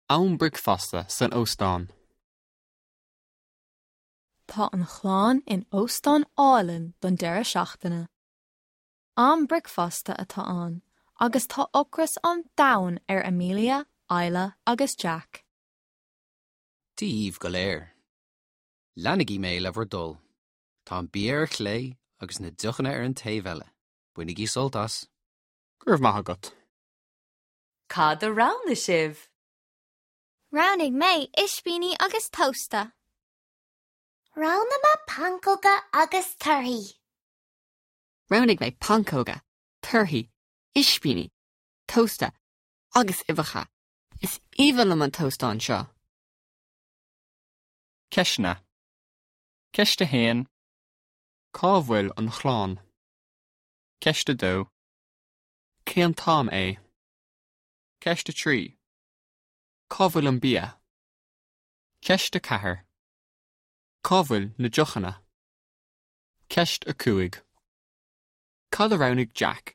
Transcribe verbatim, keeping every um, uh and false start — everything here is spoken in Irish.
Am bricfeasta san óstán. Tá an chlann in óstán álainn don deireadh seachtaine. Am bricfeasta atá ann, agus tá ocras an domhain ar Amelia, Isla agus Jack. Díomh go léir. Leanaigí mé le bhur dtoil. Tá an bia ar chlé agus na deochanna ar an taobh eile. Bainigí sult as. Go raibh maith agat. Cad a roghnaigh sibh? Roghnaigh mé ispíní agus tósta. Roghnaigh mé pancóga agus torthaí. Roghnaigh mé pancóga, torthaí, ispíní, tósta agus uibheacha. Is aoibhinn liom an t-óstán seo. Ceisteanna. Ceist a haon. Cá bhfuil an chlann? Ceist a dó. Cén t-am é? Ceist a trí. Cá bhfuil an bia? Ceist a ceathair. Cá bhfuil na deochanna? Ceist a cúig. Cad a roghnaigh Jack?